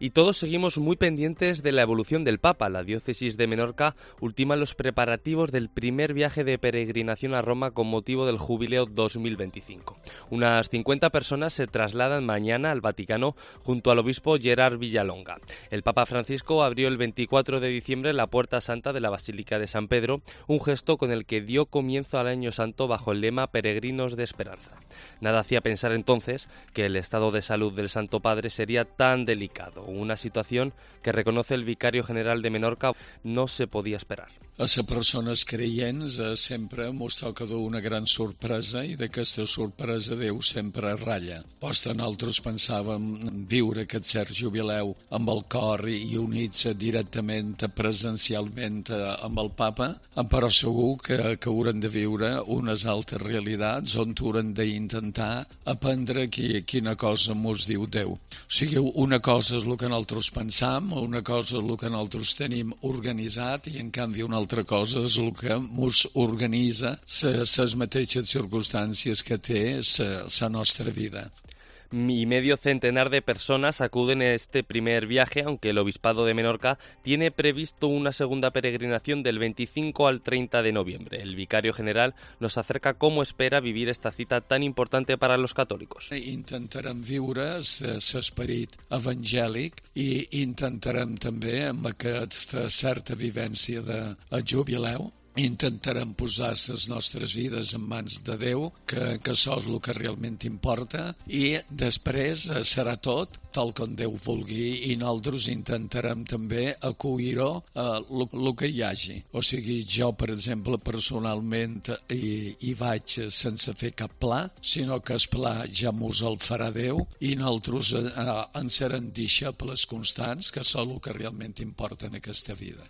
Y todos seguimos muy pendientes de la evolución del Papa. La diócesis de Menorca ultima los preparativos del primer viaje de peregrinación a Roma con motivo del Jubileo 2025. Unas 50 personas se trasladan mañana al Vaticano junto al obispo Gerard Villalonga. El Papa Francisco abrió el 24 de diciembre la Puerta Santa de la Basílica de San Pedro, un gesto con el que dio comienzo al Año Santo bajo el lema Peregrinos de Esperanza. Nada hacía pensar entonces que el estado de salud del Santo Padre sería tan delicado, una situación que reconoce el vicario general de Menorca no se podía esperar. A les persones creients sempre mos toca una gran sorpresa i d'aquesta sorpresa Déu sempre ratlla. Posta nosaltres pensàvem viure aquest cert jubileu amb el cor i units directament, presencialment amb el Papa, però segur que haurem de viure unes altres realitats on haurem d'intentar aprendre quina cosa mos diu Déu. O sigui, una cosa és el que nosaltres pensam, una cosa és el que nosaltres tenim organitzat i en canvi una altra cosa és el que mos organitza les mateixes circumstàncies que té la nostra vida. Y medio centenar de personas acuden a este primer viaje, aunque el Obispado de Menorca tiene previsto una segunda peregrinación del 25 al 30 de noviembre. El vicario general nos acerca cómo espera vivir esta cita tan importante para los católicos. Intentarem viure l'esperit evangèlic i intentarem també amb aquesta certa vivència de jubileu intentarem posar les nostres vides en mans de Déu, que això és el que realment importa, i després serà tot tal com Déu vulgui i nosaltres intentarem també acollir-ho el que hi hagi. O sigui, jo, per exemple, personalment hi vaig sense fer cap pla, sinó que el pla ja mos el farà Déu i nosaltres en serem deixebles constants, que és el que realment importa en aquesta vida.